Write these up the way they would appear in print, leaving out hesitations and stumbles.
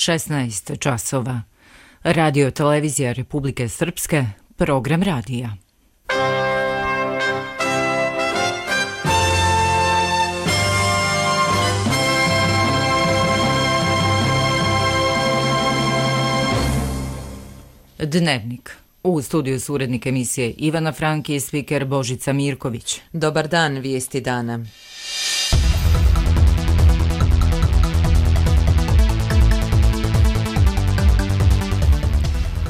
16 časova. Radio televizija Republike Srpske, program radija. Dnevnik. U studiju su urednik emisije Ivana Franki i spiker Božica Mirković. Dobar dan, vijesti dana.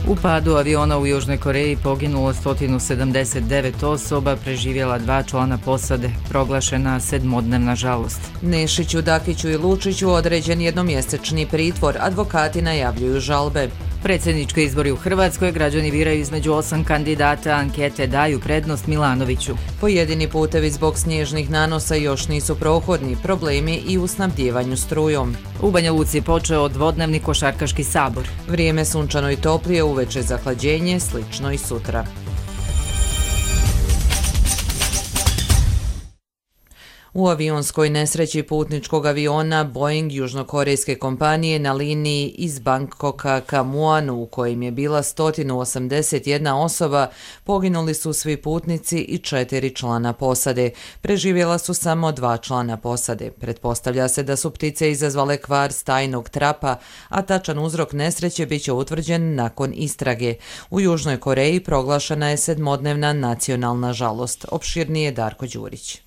U padu aviona u Južnoj Koreji poginulo 179 osoba, preživjela 2 člana posade, proglašena 7-dnevna žalost. Nešiću, Dakiću i Lučiću određen jednomjesečni pritvor, advokati najavljuju žalbe. Predsjednički izbori u Hrvatskoj, građani biraju između 8 kandidata, ankete daju prednost Milanoviću. Pojedini putevi zbog snježnih nanosa još nisu prohodni, problemi i u snabdjevanju strujom. U Banja Luci počeo dvodnevni košarkaški sabor. Vrijeme sunčano i toplije, uveče zahlađenje, slično i sutra. U avionskoj nesreći putničkog aviona Boeing južnokorejske kompanije na liniji iz Bangkoka ka Muanu, u kojim je bila 181 osoba, poginuli su svi putnici i 4 člana posade. Preživjela su samo 2 člana posade. Pretpostavlja se da su ptice izazvale kvar stajnog trapa, a tačan uzrok nesreće bit će utvrđen nakon istrage. U Južnoj Koreji proglašena je 7-dnevna nacionalna žalost. Opširnije Darko Đurić.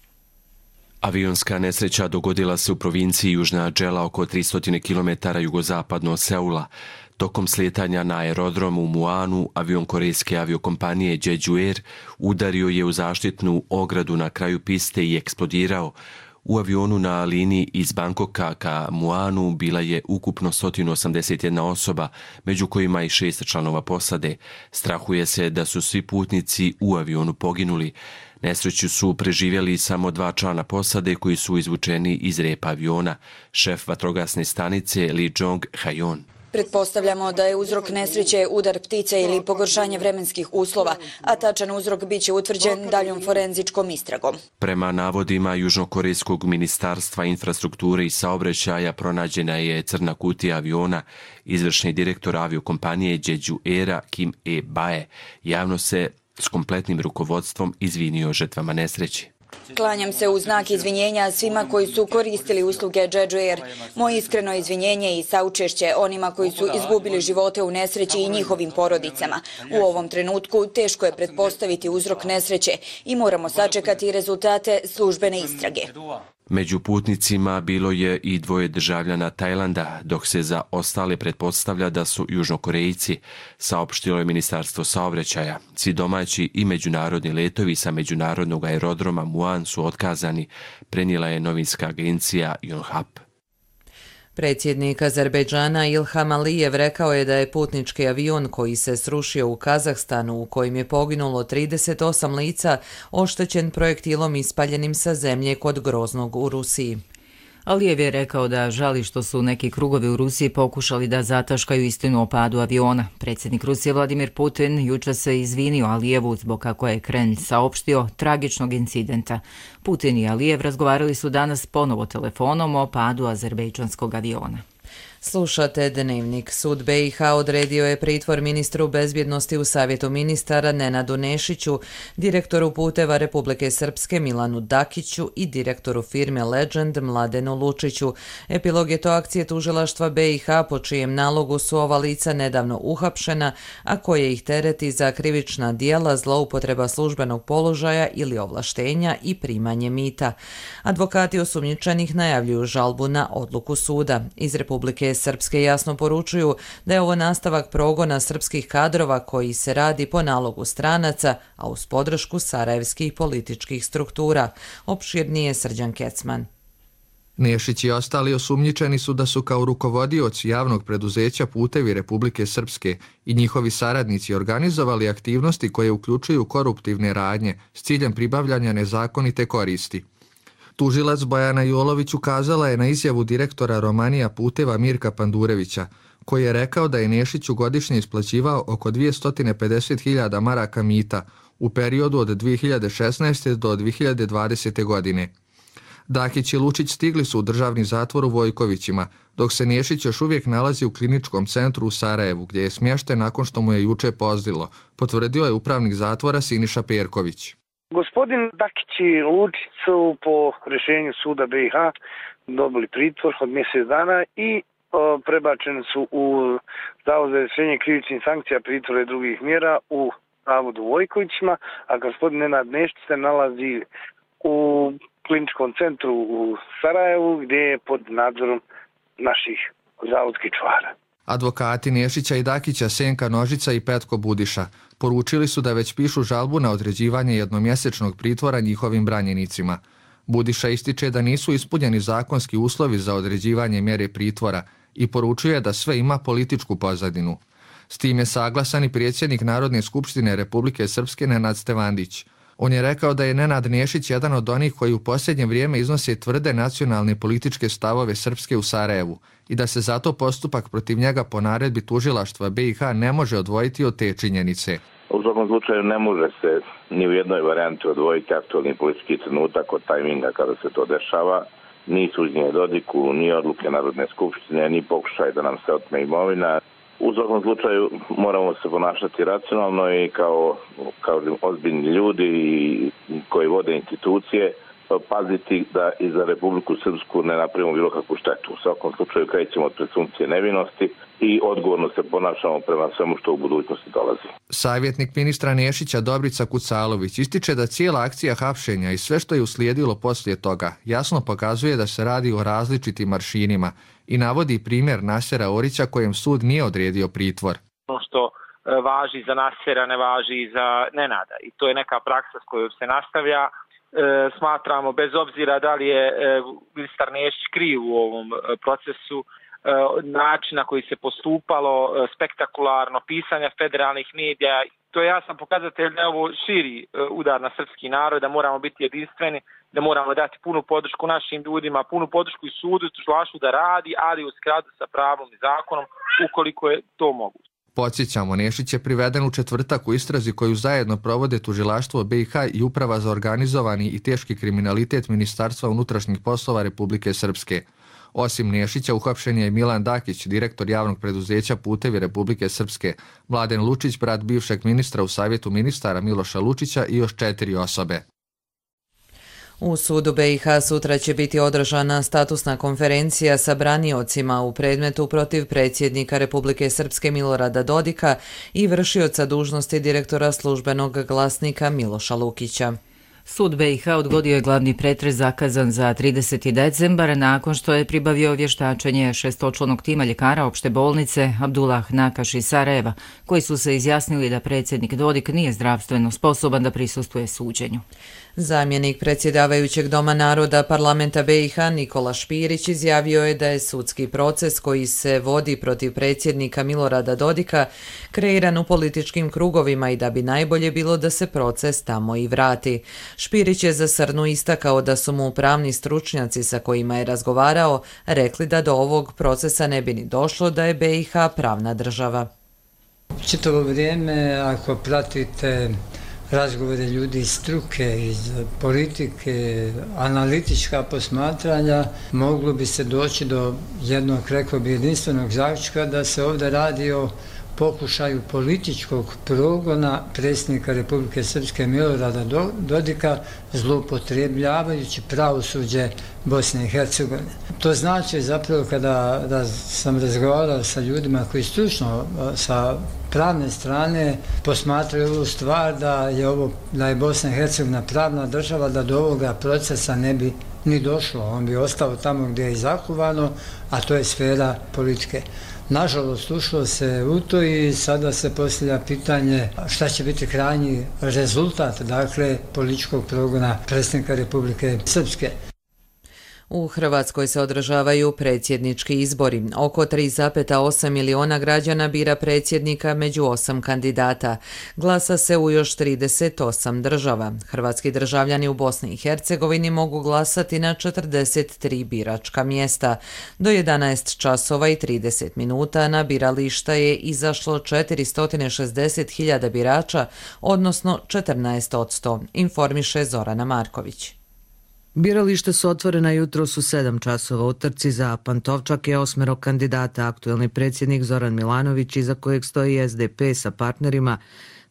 Avionska nesreća dogodila se u provinciji Južna Džela oko 300 km jugozapadno od Seula. Tokom slijetanja na aerodrom u Muanu, avion korejske aviokompanije Jeju Air udario je u zaštitnu ogradu na kraju piste i eksplodirao. U avionu na liniji iz Bangkoka ka Muanu bila je ukupno 181 osoba, među kojima i 6 članova posade. Strahuje se da su svi putnici u avionu poginuli. Nesreću su preživjeli samo 2 člana posade koji su izvučeni iz repa aviona, šef vatrogasne stanice Lee Jong-hayon. Pretpostavljamo da je uzrok nesreće udar ptice ili pogoršanje vremenskih uslova, a tačan uzrok biće utvrđen daljom forenzičkom istragom. Prema navodima Južnokorejskog ministarstva infrastrukture i saobraćaja pronađena je crna kutija aviona. Izvršni direktor aviokompanije Jeju Aira Kim E-bae javno se s kompletnim rukovodstvom izvinio žrtvama nesreće. Klanjam se u znak izvinjenja svima koji su koristili usluge Jeju Air. Moje iskreno izvinjenje i saučešće onima koji su izgubili živote u nesreći i njihovim porodicama. U ovom trenutku teško je pretpostaviti uzrok nesreće i moramo sačekati rezultate službene istrage. Među putnicima bilo je i 2 državljana Tajlanda, dok se za ostale pretpostavlja da su Južnokorejci, saopštilo je Ministarstvo saobraćaja. Svi domaći i međunarodni letovi sa međunarodnog aerodroma Muan su otkazani, prenijela je novinska agencija Yonhap. Predsjednik Azerbejdžana Ilham Alijev rekao je da je putnički avion koji se srušio u Kazahstanu, u kojem je poginulo 38 lica, oštećen projektilom ispaljenim sa zemlje kod Groznog u Rusiji. Alijev je rekao da žali što su neki krugovi u Rusiji pokušali da zataškaju istinu o padu aviona. Predsjednik Rusije Vladimir Putin jučer se izvinio Alijevu zbog, kako je Kremlj saopštio, tragičnog incidenta. Putin i Alijev razgovarali su danas ponovo telefonom o padu azerbejdžanskog aviona. Slušate Dnevnik. Sud BiH odredio je pritvor ministru bezbjednosti u Savjetu ministara Nenadu Nešiću, direktoru puteva Republike Srpske Milanu Dakiću i direktoru firme Legend Mladenu Lučiću. Epilog je to akcije tužilaštva BiH po čijem nalogu su ova lica nedavno uhapšena, a koje ih tereti za krivična djela, zloupotreba službenog položaja ili ovlaštenja i primanje mita. Advokati osumnjičenih najavljuju žalbu na odluku suda. Iz Republike Srpske jasno poručuju da je ovo nastavak progona srpskih kadrova koji se radi po nalogu stranaca, a uz podršku sarajevskih političkih struktura. Opširnije Srđan Kecman. Nešić i ostali osumnjičeni su da su kao rukovodioci javnog preduzeća Putevi Republike Srpske i njihovi saradnici organizovali aktivnosti koje uključuju koruptivne radnje s ciljem pribavljanja nezakonite koristi. Tužilac Bojana Jolović ukazala je na izjavu direktora Romanija Puteva Mirka Pandurevića, koji je rekao da je Nešiću godišnje isplaćivao oko 250.000 maraka mita u periodu od 2016. do 2020. godine. Dakić i Lučić stigli su u državni zatvor u Vojkovićima, dok se Nešić još uvijek nalazi u kliničkom centru u Sarajevu, gdje je smješten nakon što mu je juče pozlilo, potvrdio je upravnik zatvora Siniša Perković. Gospodin Dakić i Lučić su po rješenju suda BiH dobili pritvor od mjesec dana i prebačeni su u Zavod za rješenje krivičnih sankcija, pritvora i drugih mjera u zavodu u Vojkovićima, a gospodin Nenad Nešić se nalazi u kliničkom centru u Sarajevu gdje je pod nadzorom naših zavodskih čuvara. Advokati Nešića i Dakića Senka Nožica i Petko Budiša poručili su da već pišu žalbu na određivanje jednomjesečnog pritvora njihovim branjenicima. Budiša ističe da nisu ispunjeni zakonski uslovi za određivanje mjere pritvora i poručuje da sve ima političku pozadinu. S tim je saglasan i predsjednik Narodne skupštine Republike Srpske Nenad Stevandić. On je rekao da je Nenad Nešić jedan od onih koji u posljednje vrijeme iznose tvrde nacionalne političke stavove Srpske u Sarajevu i da se zato postupak protiv njega po naredbi tužilaštva BiH ne može odvojiti od te činjenice. U svakom slučaju ne može se ni u jednoj varijanti odvojiti aktualni politički trenutak od tajminga kada se to dešava. Ni suđenje Dodiku, ni odluke Narodne skupštine, ni pokušaj da nam se otme imovina. U svakom slučaju moramo se ponašati racionalno i kao ozbiljni ljudi koji vode institucije paziti da i za Republiku Srpsku ne napravimo bilo kakvu štetu. U svakom slučaju krećemo od presumpcije nevinosti i odgovorno se ponašamo prema svemu što u budućnosti dolazi. Savjetnik ministra Nešića Dobrica Kucalović ističe da cijela akcija hapšenja i sve što je uslijedilo poslije toga jasno pokazuje da se radi o različitim aršinima i navodi primjer Nasera Orića kojem sud nije odredio pritvor. Ono što važi za Nasera ne važi i za Nenada i to je neka praksa s kojom se nastavlja. Smatramo, bez obzira da li je ministar Nešić kriv u ovom procesu, način na koji se postupalo, spektakularno, pisanja federalnih medija, to je jasan pokazatelj da je ovo širi udar na srpski narod, da moramo biti jedinstveni, da moramo dati punu podršku našim ljudima, punu podršku i sudu, tužilaštvu da radi, ali u skladu sa pravom i zakonom, ukoliko je to moguće. Podsjećamo, Nešić je priveden u četvrtak u istrazi koju zajedno provode tužilaštvo BiH i Uprava za organizovani i teški kriminalitet Ministarstva unutrašnjih poslova Republike Srpske. Osim Nešića, uhapšen je i Milan Dakić, direktor javnog preduzeća Putevi Republike Srpske, Mladen Lučić, brat bivšeg ministra u Savjetu ministara Miloša Lučića i još 4 osobe. U sudu BiH sutra će biti održana statusna konferencija sa braniocima u predmetu protiv predsjednika Republike Srpske Milorada Dodika i vršioca dužnosti direktora službenog glasnika Miloša Lukića. Sud BiH odgodio je glavni pretres zakazan za 30. decembar nakon što je pribavio vještačenje šestočlanog tima ljekara opšte bolnice Abdullah Nakaš iz Sarajeva, koji su se izjasnili da predsjednik Dodik nije zdravstveno sposoban da prisustvuje suđenju. Zamjenik predsjedavajućeg Doma naroda parlamenta BiH Nikola Špirić izjavio je da je sudski proces koji se vodi protiv predsjednika Milorada Dodika kreiran u političkim krugovima i da bi najbolje bilo da se proces tamo i vrati. Špirić je za Srnu istakao da su mu pravni stručnjaci sa kojima je razgovarao rekli da do ovog procesa ne bi ni došlo da je BiH pravna država. Čitavo vrijeme, ako pratite razgovore ljudi iz struke, iz politike, analitička posmatranja, moglo bi se doći do jednog, rekao bi, jedinstvenog zaključka da se ovdje radi o pokušaju političkog progona predsjednika Republike Srpske Milorada Dodika zloupotrebljavajući pravosuđe Bosne i Hercegovine. To znači zapravo kada sam razgovarao sa ljudima koji stručno sa pravne strane posmatraju ovu stvar da je Bosna i Hercegovina pravna država, da do ovoga procesa ne bi ni došlo. On bi ostao tamo gdje je i zakovano, a to je sfera politike. Nažalost, ušlo se u to i sada se postavlja pitanje šta će biti krajnji rezultat, dakle, političkog progona predsjednika Republike Srpske. U Hrvatskoj se održavaju predsjednički izbori. Oko 3,8 miliona građana bira predsjednika među 8 kandidata. Glasa se u još 38 država. Hrvatski državljani u Bosni i Hercegovini mogu glasati na 43 biračka mjesta. Do 11 časova i 30 minuta na birališta je izašlo 460.000 birača, odnosno 14%, informiše Zorana Marković. Birališta su otvorena jutros u 7 časova. U trci za Pantovčak je 8 kandidata, aktuelni predsjednik Zoran Milanović, iza kojeg stoji SDP sa partnerima,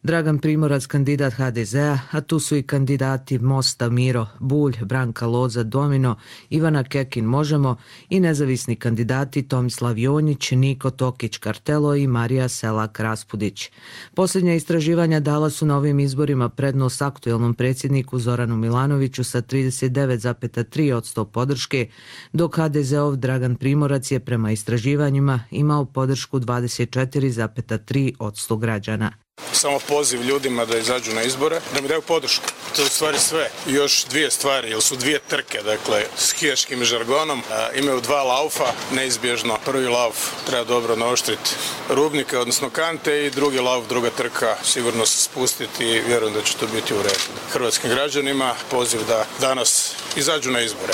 Dragan Primorac, kandidat HDZ-a, a tu su i kandidati Mosta Miro Bulj, Branka Loza Domino, Ivana Kekin Možemo i nezavisni kandidati Tomislav Jonjić, Niko Tokić Kartelo i Marija Selak Raspudić. Posljednja istraživanja dala su na ovim izborima prednost aktuelnom predsjedniku Zoranu Milanoviću sa 39,3% podrške, dok HDZ-ov Dragan Primorac je prema istraživanjima imao podršku 24,3% građana. Samo poziv ljudima da izađu na izbore, da mi daju podršku. To je u stvari sve. I još dvije stvari, jer su dvije trke, dakle, skijaškim žargonom. Imaju 2 laufa, neizbježno. Prvi lauf treba dobro naoštriti rubnike, odnosno kante, i drugi lauf, druga trka, sigurno se spustiti i vjerujem da će to biti u redu. Hrvatskim građanima poziv da danas izađu na izbore.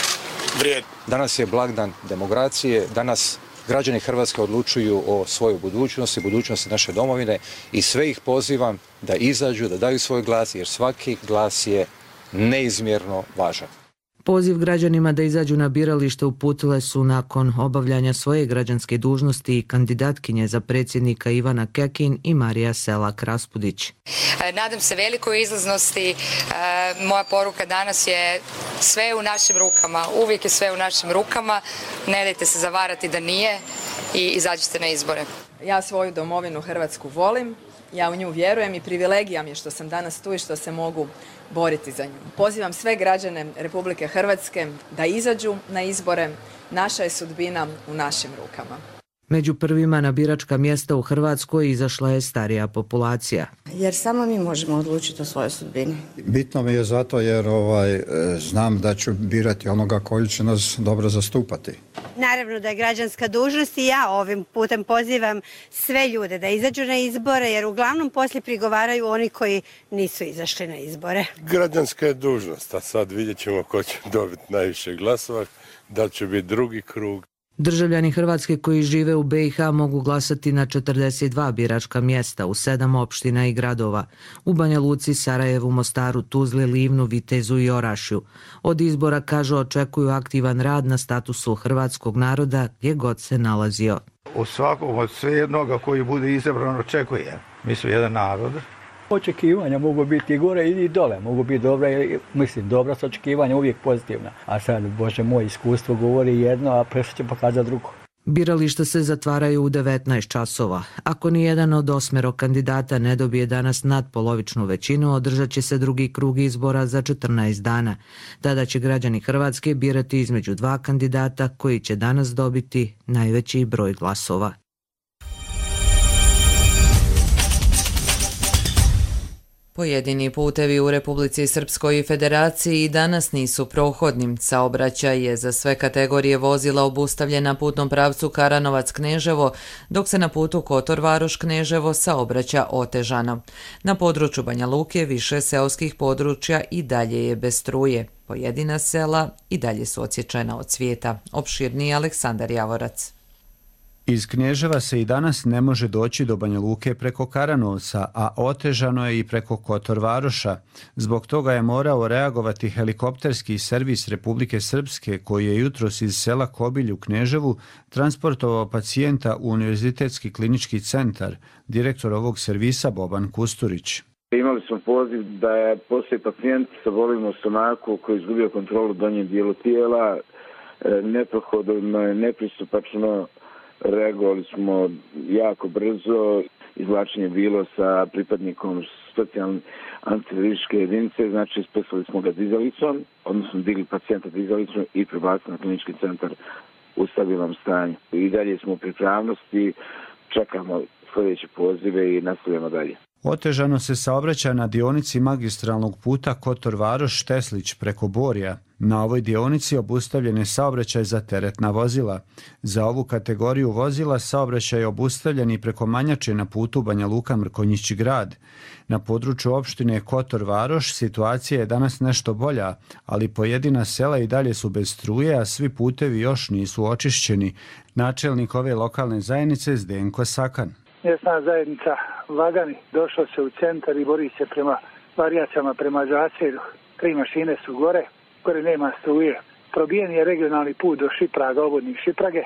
Vrijedi. Danas je blagdan demokracije, danas građani Hrvatske odlučuju o svojoj budućnosti, budućnosti naše domovine i sve ih pozivam da izađu, da daju svoj glas, jer svaki glas je neizmjerno važan. Poziv građanima da izađu na biralište uputile su nakon obavljanja svoje građanske dužnosti i kandidatkinje za predsjednika Ivana Kekin i Marija Selak Raspudić. Nadam se velikoj izlaznosti. Moja poruka danas je sve u našim rukama. Uvijek je sve u našim rukama. Ne dajte se zavarati da nije i izađite na izbore. Ja svoju domovinu Hrvatsku volim. Ja u nju vjerujem i privilegija mi je što sam danas tu i što se mogu boriti za nju. Pozivam sve građane Republike Hrvatske da izađu na izbore. Naša je sudbina u našim rukama. Među prvima na biračka mjesta u Hrvatskoj izašla je starija populacija. Jer samo mi možemo odlučiti o svojoj sudbini. Bitno mi je zato jer znam da ću birati onoga koji će nas dobro zastupati. Naravno da je građanska dužnost i ja ovim putem pozivam sve ljude da izađu na izbore, jer uglavnom poslije prigovaraju oni koji nisu izašli na izbore. Građanska je dužnost, a sad vidjet ćemo ko će dobiti najviše glasova, da će biti drugi krug. Državljani Hrvatske koji žive u BiH mogu glasati na 42 biračka mjesta u 7 opština i gradova, u Banja Luci, Sarajevu, Mostaru, Tuzli, Livnu, Vitezu i Orašju. Od izbora, kažu, očekuju aktivan rad na statusu hrvatskog naroda gdje god se nalazio. U svakom od svejednoga koji bude izabran očekuje. Mi smo jedan narod. Očekivanja mogu biti i gore i dole, mogu biti dobra, dobra su očekivanja uvijek pozitivna. A sad, Bože moj, iskustvo govori jedno, a presud će pokazati drugo. Birališta se zatvaraju u 19 časova. Ako ni jedan od 8 kandidata ne dobije danas nadpolovičnu većinu, održat će se drugi krug izbora za 14 dana. Tada će građani Hrvatske birati između 2 kandidata koji će danas dobiti najveći broj glasova. Pojedini putevi u Republici Srpskoj i Federaciji danas nisu prohodni. Saobraćaj je za sve kategorije vozila obustavljen na putnom pravcu Karanovac-Kneževo, dok se na putu Kotor-Varoš-Kneževo saobraća otežano. Na području Banja Luke više seoskih područja i dalje je bez struje. Pojedina sela i dalje su odsječena od svijeta. Opširniji Aleksandar Javorac. Iz Kneževa se i danas ne može doći do Banja Luke preko Karanovca, a otežano je i preko Kotor-Varoša. Zbog toga je morao reagovati helikopterski servis Republike Srpske, koji je jutros iz sela Kobilj u Kneževu transportovao pacijenta u Univerzitetski klinički centar. Direktor ovog servisa Boban Kusturić. Imali smo poziv da postoji pacijent sa bolima u stomaku koji je izgubio kontrolu u donjem dijelu tijela, neprohodno, nepristupačno. Reagovali smo jako brzo, izvlačenje bilo sa pripadnikom specijalne antiviruske jedinice, znači spasili smo ga dizalicom, odnosno digli pacijenta dizalicom i prebacili na klinički centar u stabilnom stanju. I dalje smo u pripravnosti, čekamo sljedeće pozive i nastavljamo dalje. Otežano se saobraća na dionici magistralnog puta Kotor-Varoš-Teslić preko Borja. Na ovoj dionici obustavljen je saobraćaj za teretna vozila. Za ovu kategoriju vozila saobraćaj je obustavljen i preko Manjače na putu Banja Luka-Mrkonjić grad. Na području opštine Kotor-Varoš situacija je danas nešto bolja, ali pojedina sela i dalje su bez struje, a svi putevi još nisu očišćeni. Načelnik ove lokalne zajednice Zdenko Sakan. Mjesna zajednica Lagani došla se u centar i bori se prema varijacijama prema Zaselju. 3 mašine su gore. gore nema struje. Probijen je regionalni put do Šipraga, obvodnik Šiprage.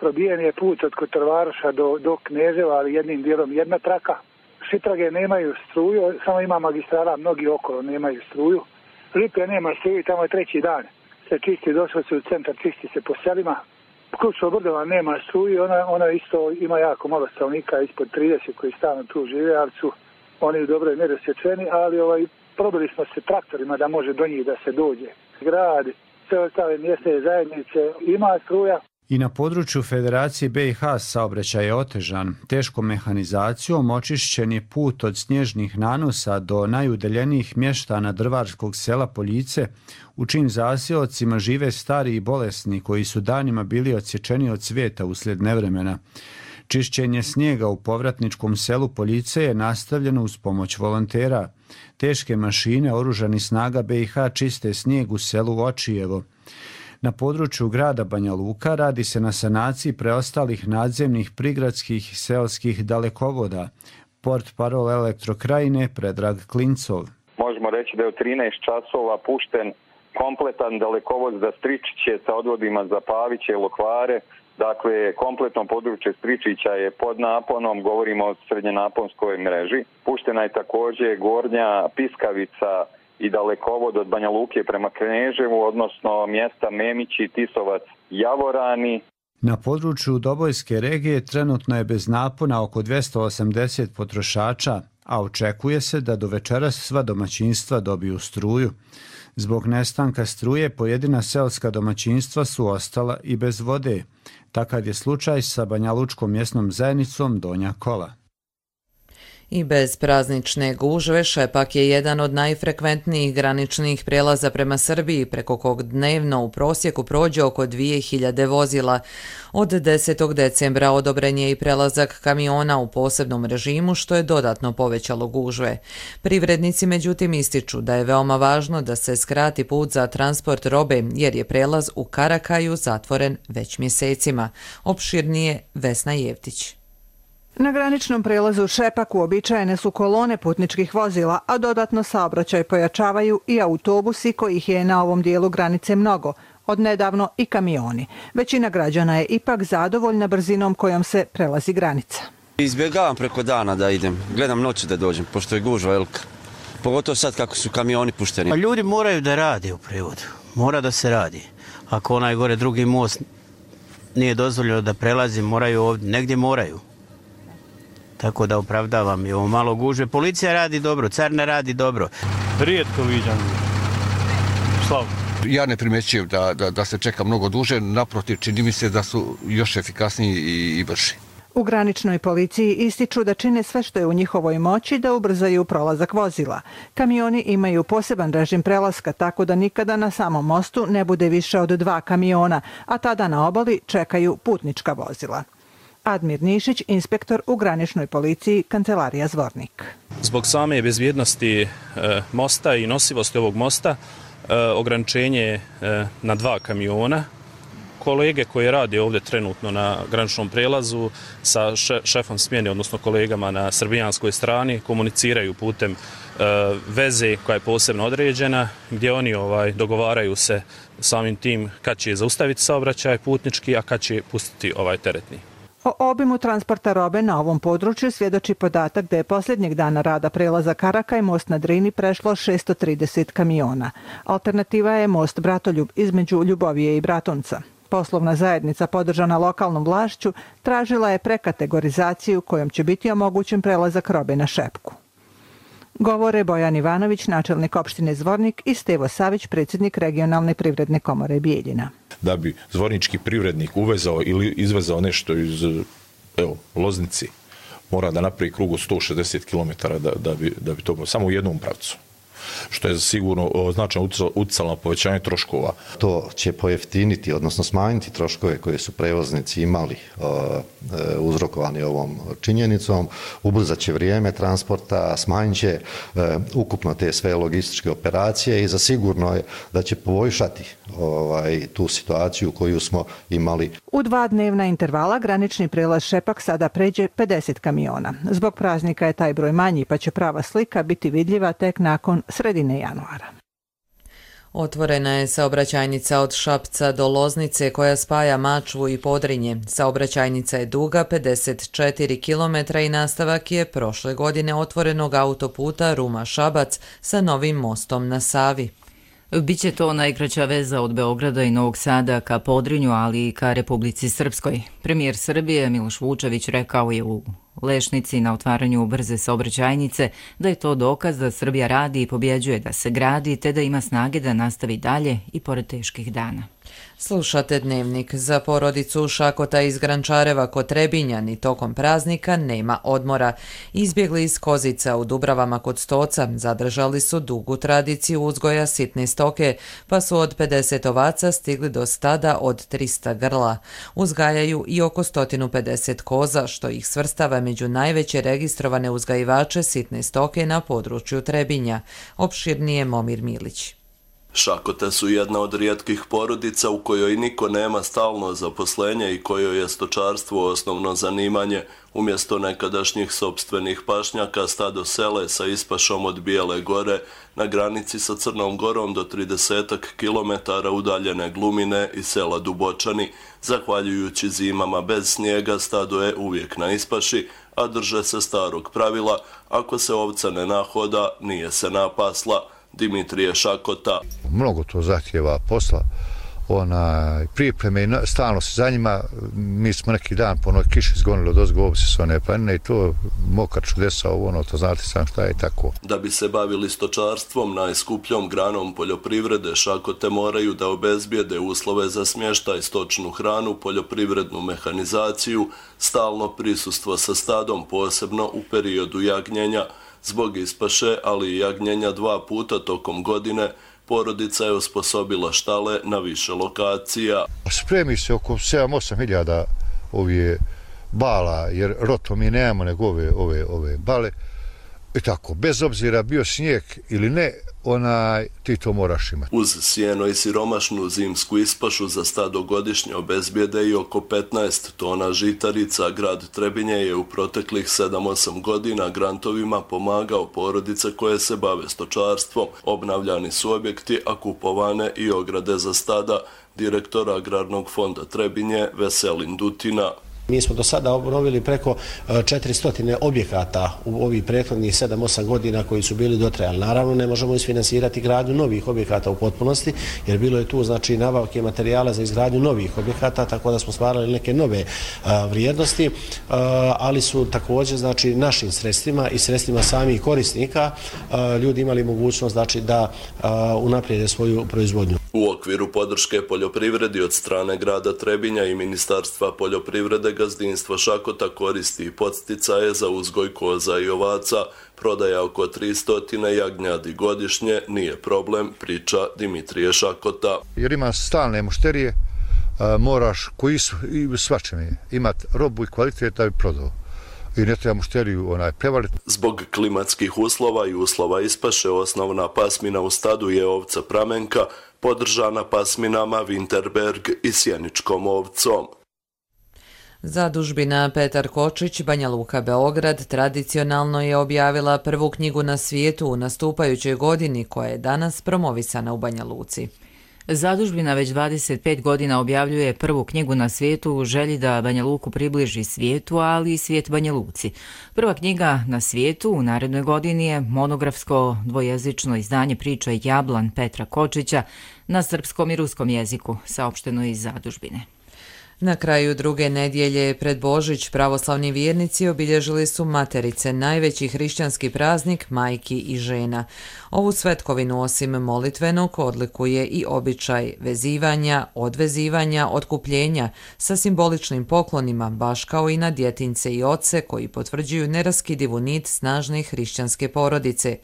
Probijen je put od Kotorvaroša do Kneževa, ali jednim dijelom jedna traka. Šiprage nemaju struju, samo ima magistrala, mnogi okolo nemaju struju. Lipe nema struju, tamo je treći dan. Se čisti, došlo se u centar, čisti se po selima. Kruško Brdova nema struju, ona isto ima jako malo stanovnika, ispod 30 koji stalno tu žive, ali su oni u dobroj mjeri osjećeni, ali probili smo se traktorima da može do njih da se dođe. Grad, sve ostale mjesne zajednice ima struja. I na području Federacije BiH saobraćaj je otežan. Teškom mehanizacijom očišćen je put od snježnih nanosa do najudaljenijih mještana drvarskog sela Poljice, u čijim zaseocima žive stari i bolesni koji su danima bili odsječeni od svijeta uslijed nevremena. Čišćenje snijega u povratničkom selu Poljice je nastavljeno uz pomoć volontera. Teške mašine oružanih snaga BiH čiste snijeg u selu Očijevo. Na području grada Banja Luka radi se na sanaciji preostalih nadzemnih prigradskih i seoskih dalekovoda. Portparol Elektrokrajine Predrag Klincov. Možemo reći da je u 13 časova pušten kompletan dalekovod za Stričiće sa odvodima za Paviće i Lokvare. Dakle, kompletno područje Stričića je pod naponom, govorimo o srednjenaponskoj mreži. Puštena je također Gornja Piskavica i dalekovod od Banja Luke prema Kneževu, odnosno mjesta Memići, Tisovac, Javorani. Na području Dobojske regije trenutno je bez napona oko 280 potrošača, a očekuje se da do večeras sva domaćinstva dobiju struju. Zbog nestanka struje pojedina seoska domaćinstva su ostala i bez vode. Takav je slučaj sa banjalučkom mjesnom zajednicom Donja Kola. I bez praznične gužve Šepak je jedan od najfrekventnijih graničnih prijelaza prema Srbiji, preko kog dnevno u prosjeku prođe oko 2000 vozila. Od 10. decembra odobren je i prelazak kamiona u posebnom režimu, što je dodatno povećalo gužve. Privrednici međutim ističu da je veoma važno da se skrati put za transport robe, jer je prelaz u Karakaju zatvoren već mjesecima. Opširnije Vesna Jevtić. Na graničnom prelazu Šepak uobičajene su kolone putničkih vozila, a dodatno saobraćaj pojačavaju i autobusi kojih je na ovom dijelu granice mnogo, odnedavno i kamioni. Većina građana je ipak zadovoljna brzinom kojom se prelazi granica. Izbjegavam preko dana da idem, gledam noću da dođem, pošto je gužva velika. Pogotovo sad kako su kamioni pušteni. Pa ljudi moraju da rade u prevodu, mora da se radi. Ako onaj gore drugi most nije dozvoljeno da prelazi, moraju ovdje, negdje moraju. Tako da opravdavam i ovo malo gužve. Policija radi dobro, carina radi dobro. Rijetko viđam. Slav. Ja ne primjećujem da se čeka mnogo duže, naprotiv čini mi se da su još efikasniji i brži. U graničnoj policiji ističu da čine sve što je u njihovoj moći da ubrzaju prolazak vozila. Kamioni imaju poseban režim prelaska, tako da nikada na samom mostu ne bude više od 2 kamiona, a tada na obali čekaju putnička vozila. Admir Nišić, inspektor u graničnoj policiji, kancelarija Zvornik. Zbog same bezbjednosti mosta i nosivosti ovog mosta, ograničenje je na 2 kamiona. Kolege koji rade ovdje trenutno na graničnom prelazu sa šefom smjene, odnosno kolegama na srbijanskoj strani, komuniciraju putem veze koja je posebno određena, gdje oni dogovaraju se samim tim kad će zaustaviti saobraćaj putnički, a kad će pustiti teretni. O obimu transporta robe na ovom području svjedoči podatak da je posljednjeg dana rada prelaza Karakaj most na Drini prešlo 630 kamiona. Alternativa je most Bratoljub između Ljubovije i Bratunca. Poslovna zajednica podržana lokalnom vlašću tražila je prekategorizaciju kojom će biti omogućen prelazak robe na Šepku. Govore Bojan Ivanović, načelnik opštine Zvornik, i Stevo Savić, predsjednik regionalne privredne komore Bijeljina. Da bi zvornički privrednik uvezao ili izvezao nešto iz Loznici, mora da napravi krug od 160 km da bi to bilo samo u jednom pravcu, što je sigurno značajno utjecalo na povećanje troškova. To će pojeftiniti, odnosno smanjiti troškove koje su prevoznici imali uzrokovani ovom činjenicom, ubrzat će vrijeme transporta, smanjit će ukupno te sve logističke operacije i zasigurno je da će poboljšati tu situaciju koju smo imali. U 2 dnevna intervala granični prelaz Šepak sada pređe 50 kamiona. Zbog praznika je taj broj manji, pa će prava slika biti vidljiva tek nakon sredine januara. Otvorena je saobraćajnica od Šapca do Loznice koja spaja Mačvu i Podrinje. Saobraćajnica je duga 54 km i nastavak je prošle godine otvorenog autoputa Ruma-Šabac sa novim mostom na Savi. Biće to najkraća veza od Beograda i Novog Sada ka Podrinju, ali i ka Republici Srpskoj. Premijer Srbije Miloš Vučević rekao je u Lešnici na otvaranju brze saobraćajnice da je to dokaz da Srbija radi i pobjeđuje da se gradi, te da ima snage da nastavi dalje i pored teških dana. Slušate Dnevnik. Za porodicu Šakota iz Grančareva kod Trebinja ni tokom praznika nema odmora. Izbjegli iz Kozica u Dubravama kod Stoca zadržali su dugu tradiciju uzgoja sitne stoke, pa su od 50 ovaca stigli do stada od 300 grla. Uzgajaju i oko 150 koza, što ih svrstava među najveće registrovane uzgajivače sitne stoke na području Trebinja. Opširnije Momir Milić. Šakote su jedna od rijetkih porodica u kojoj niko nema stalno zaposlenje i kojoj je stočarstvo osnovno zanimanje. Umjesto nekadašnjih sopstvenih pašnjaka stado sele sa ispašom od Bijele gore na granici sa Crnom Gorom do 30 km udaljene Glumine i sela Dubočani. Zahvaljujući zimama bez snijega stado je uvijek na ispaši, a drže se starog pravila, ako se ovca ne nahoda, nije se napasla. Dimitrije Šakota. Mnogo to zahtjeva posla, pripreme i stalno se za njima. Mi smo neki dan po onoj kiši zgonili od ozgo ovce s one planine i to mokar čudesa to znate sam šta je tako. Da bi se bavili stočarstvom, najskupljom granom poljoprivrede, Šakote moraju da obezbijede uslove za smještaj, stočnu hranu, poljoprivrednu mehanizaciju, stalno prisustvo sa stadom, posebno u periodu jagnjenja. Zbog ispaše, ali i jagnjenja 2 puta tokom godine, porodica je osposobila štale na više lokacija. Spremi se oko 7-8 hiljada ovih bala, jer roto mi nemamo nego ove bale. I tako, bez obzira bio snijeg ili ne, ti to moraš imati. Uz sjeno i siromašnu zimsku ispašu za stado godišnje obezbijede i oko 15 tona žitarica. Grad Trebinje je u proteklih 7-8 godina grantovima pomagao porodice koje se bave stočarstvom. Obnavljani su objekti, a kupovane i ograde za stada. Direktor Agrarnog fonda Trebinje Veselin Dutina. Mi smo do sada obnovili preko 400 objekata u ovih prethodnih 7-8 godina koji su bili dotrajali. Naravno, ne možemo isfinansirati gradnju novih objekata u potpunosti, jer bilo je tu nabavke materijala za izgradnju novih objekata, tako da smo stvarali neke nove vrijednosti, ali su također našim sredstvima i sredstvima samih korisnika ljudi imali mogućnost da unaprijede svoju proizvodnju. U okviru podrške poljoprivredi od strane grada Trebinja i Ministarstva poljoprivrede gazdinstvo Šakota koristi podsticaje za uzgoj koza i ovaca. Prodaja oko 300 jagnjadi godišnje nije problem, priča Dimitrije Šakota. Jer ima stalne mušterije, moraš koji su i svačeme imati robu i kvalitet da bi prodao. I ne treba mušteriju prevaliti. Zbog klimatskih uslova i uslova ispaše osnovna pasmina u stadu je ovca pramenka, podržana pasminama Winterberg i sjeničkom ovcom. Zadužbina Petar Kočić, Banja Luka, Beograd, tradicionalno je objavila prvu knjigu na svijetu u nastupajućoj godini koja je danas promovisana u Banja Luci. Zadužbina već 25 godina objavljuje prvu knjigu na svijetu u želji da Banja Luku približi svijetu, ali i svijet Banja Luci. Prva knjiga na svijetu u narednoj godini je monografsko dvojezično izdanje priča Jablan Petra Kočića na srpskom i ruskom jeziku, saopšteno iz Zadužbine. Na kraju druge nedjelje pred Božić pravoslavni vjernici obilježili su Materice, najveći hrišćanski praznik majki i žena. Ovu svetkovinu osim molitvenog odlikuje i običaj vezivanja, odvezivanja, otkupljenja sa simboličnim poklonima, baš kao i na djetince i oce koji potvrđuju neraskidivu nit snažne hrišćanske porodice.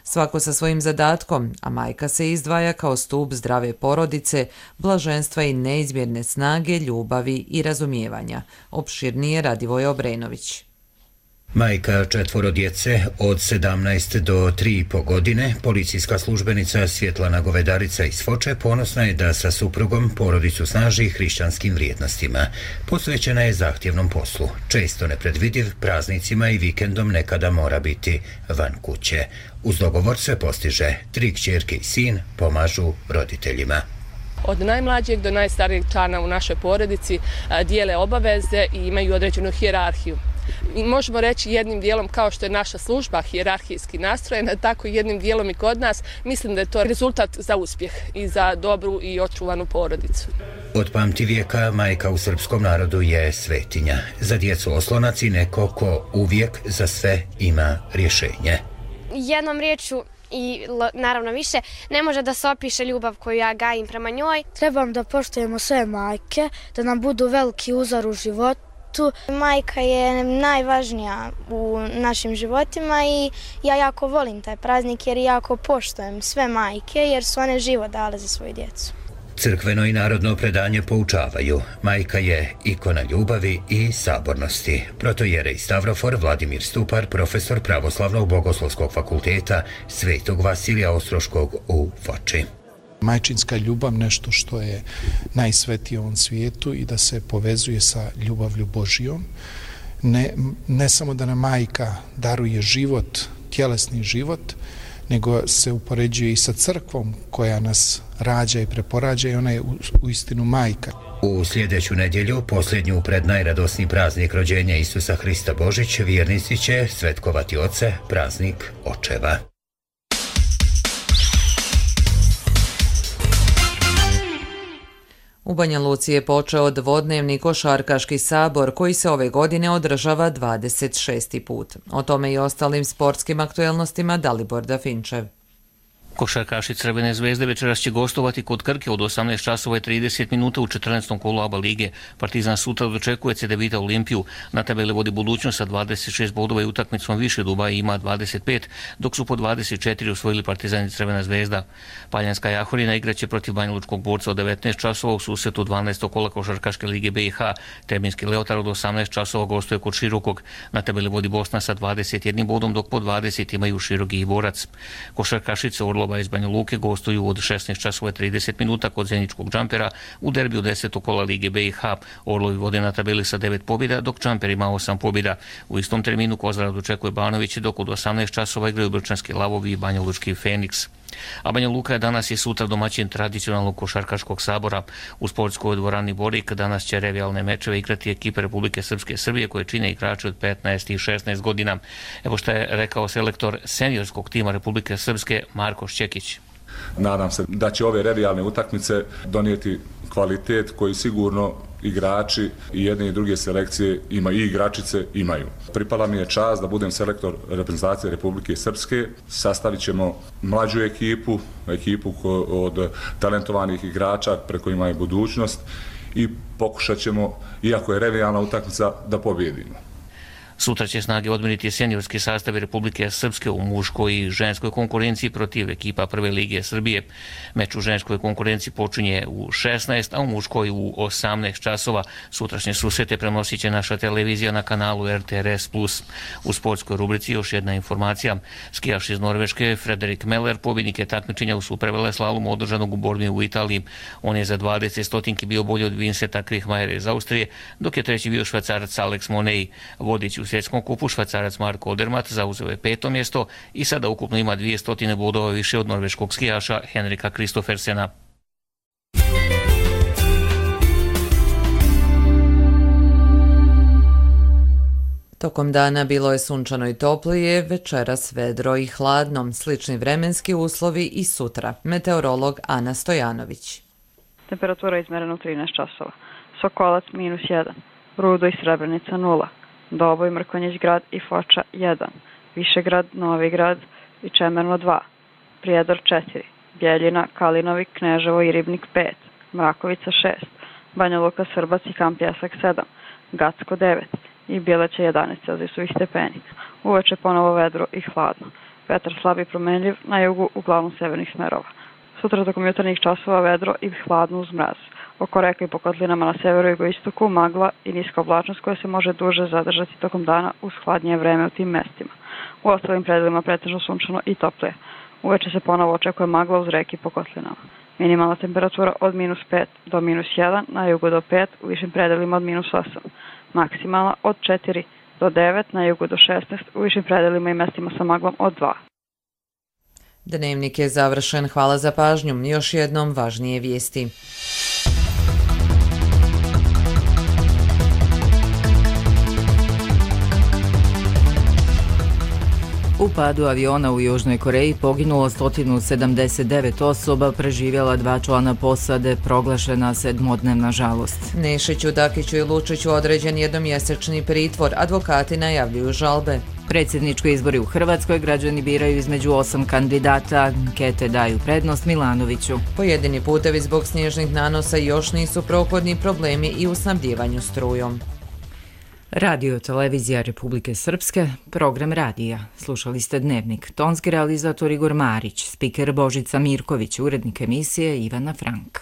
Svako sa svojim zadatkom, a majka se izdvaja kao stup zdrave porodice, blaženstva i neizmjerne snage, ljubavi i razumijevanja. Opširnije Radivoje Obrenović. Majka 4 djece od 17 do 3,5 godine, policijska službenica Svjetlana Govedarica iz Foče ponosna je da sa suprugom porodicu snaži hrišćanskim vrijednostima. Posvećena je zahtjevnom poslu, često nepredvidiv, praznicima i vikendom nekada mora biti van kuće. Uz dogovor sve postiže, 3 kćerke i sin pomažu roditeljima. Od najmlađeg do najstarijeg člana u našoj porodici dijele obaveze i imaju određenu hijerarhiju. I možemo reći jednim dijelom kao što je naša služba hijerarhijski nastrojena, tako i jednim dijelom i kod nas. Mislim da je to rezultat za uspjeh i za dobru i očuvanu porodicu. Od pamtivijeka majka u srpskom narodu je svetinja. Za djecu oslonac i neko ko uvijek za sve ima rješenje. Jednom riječu i naravno više, ne može da se opiše ljubav koju ja gajim prema njoj. Trebam da poštujemo sve majke, da nam budu veliki uzor u životu. Majka je najvažnija u našim životima i ja jako volim taj praznik jer jako poštujem sve majke jer su one život dale za svoju djecu. Crkveno i narodno predanje poučavaju. Majka je ikona ljubavi i sabornosti. Protojerej Stavrofor Vladimir Stupar, profesor Pravoslavnog bogoslovskog fakulteta Svetog Vasilija Ostroškog u Foči. Majčinska ljubav nešto što je najsvetije u ovom svijetu i da se povezuje sa ljubavlju Božijom. Ne samo da nam majka daruje život, tjelesni život, nego se upoređuje i sa crkvom koja nas rađa i preporađa i ona je uistinu majka. U sljedeću nedjelju, posljednju pred najradosniji praznik rođenja Isusa Hrista Božić, vjernici će svetkovati oce, praznik očeva. U Banja Luci je počeo dvodnevni košarkaški sabor koji se ove godine održava 26. put. O tome i ostalim sportskim aktuelnostima Dalibor Dafinčev. Košarkaši Crvene zvezde večeras će gostovati kod Krke od 18 časova i 30 minuta u 14. kolu ABA lige. Partizan sutra dočekuje CDVita Olimpiju. Na tabeli vodi Budućnost sa 26 bodova i utakmicom više, Dubaj ima 25, dok su po 24 osvojili Partizan i Crvena zvezda. Paljanska Jahorina igraće protiv Banjalučkog Borca od 19 časova u susretu 12. kola Košarkaške lige BiH. Trebinski Leotar od 18 časova gostuje kod Širokog. Na tabeli vodi Bosna sa 21 bodom, dok po 20 imaju Široki i Borac. Košarkašice Orlova iz Banja Luke gostuju od 16 časova 30 minuta kod Zeničkog Džampera u derbiju 10. kola Lige BiH. Orlovi vode na tabeli sa 9 pobjeda, dok Džamper ima 8 pobjeda. U istom terminu Kozarac dočekuje Banović, dok od 18 časova igraju Brčanski Lavovi i Banjalučki Feniks. A Banja Luka je danas i sutra domaćin tradicionalnog košarkaškog sabora. U sportskoj dvorani Borik danas će revijalne mečeve igrati ekipe Republike Srpske Srbije koje čine igrači od 15 i 16 godina. Evo što je rekao selektor seniorskog tima Republike Srpske Marko Šćekić. Nadam se da će ove revijalne utakmice donijeti kvalitet koji sigurno igrači i jedne i druge selekcije i igračice imaju. Pripala mi je čast da budem selektor reprezentacije Republike Srpske. Sastavit ćemo mlađu ekipu od talentovanih igrača pred kojima je budućnost i pokušat ćemo, iako je revijalna utakmica, da pobjedimo. Sutra će snage odmjeriti seniorski sastavi Republike Srpske u muškoj i ženskoj konkurenciji protiv ekipa Prve lige Srbije. Meč u ženskoj konkurenciji počinje u 16, a u muškoj u 18 časova. Sutrašnje susrete prenosit će naša televizija na kanalu RTRS+. U sportskoj rubrici još jedna informacija. Skijaš iz Norveške Frederik Meller pobjednik je takmičenja u superveleslalomu održanog u Bormi u Italiji. On je za 20 stotinki bio bolji od Vincenta Krihmajera iz Austrije, dok je treći bio Švajcarac Alex Monei. Vodić u svjetskom kupu Švajcarac Marko Odermatt zauzeo je 5. mjesto i sada ukupno ima 200 bodova više od norveškog skijaša Henrika Kristoffersena. Tokom dana bilo je sunčano i toplije, večeras vedro i hladno, slični vremenski uslovi i sutra. Meteorolog Ana Stojanović. Temperatura izmerena u 13 časova. Sokolac -1, Rudo i Srebrenica 0. Doboj, Mrkonjić grad i Foča 1, Višegrad, Novi grad i Čemerno 2, Prijedor 4, Bjeljina, Kalinovi, Kneževo i Ribnik 5, Mrakovica 6, Banja Luka, Srbac i Kamp Jesak 7, Gacko 9 i Bjeleća 11 celzijusovih stepeni. Uveče ponovo vedro i hladno. Vetar slab i promenljiv, na jugu uglavnom severnih smerova. Sutra tokom jutarnjih časova vedro i hladno uz mraz. Oko reka i po kotlinama na severu i jugoistoku magla i niska oblačnost koja se može duže zadržati tokom dana uz hladnije vreme u tim mestima. U ostalim predelima pretežno sunčano i toplije. Uveče se ponovo očekuje magla uz reke i po kotlinama. Minimalna temperatura od -5 do -1, na jugu do 5, u višim predelima od -8. Maksimalna od 4 do 9, na jugu do 16, u višim predelima i mestima sa maglom od 2. Dnevnik je završen. Hvala za pažnju. Još jednom važnije vijesti. U padu aviona u Južnoj Koreji poginulo 179 osoba, preživjela 2 člana posade, proglašena 7-dnevna žalost. Nešiću, Dakiću i Lučiću određen jednomjesečni pritvor, advokati najavljuju žalbe. Predsjednički izbori u Hrvatskoj, građani biraju između 8 kandidata, ankete daju prednost Milanoviću. Pojedini putevi zbog snježnih nanosa još nisu prohodni, problemi i u snabdjevanju strujom. Radio televizija Republike Srpske, program radija. Slušali ste Dnevnik. Tonski realizator Igor Marić, spiker Božica Mirković, urednik emisije Ivana Frank.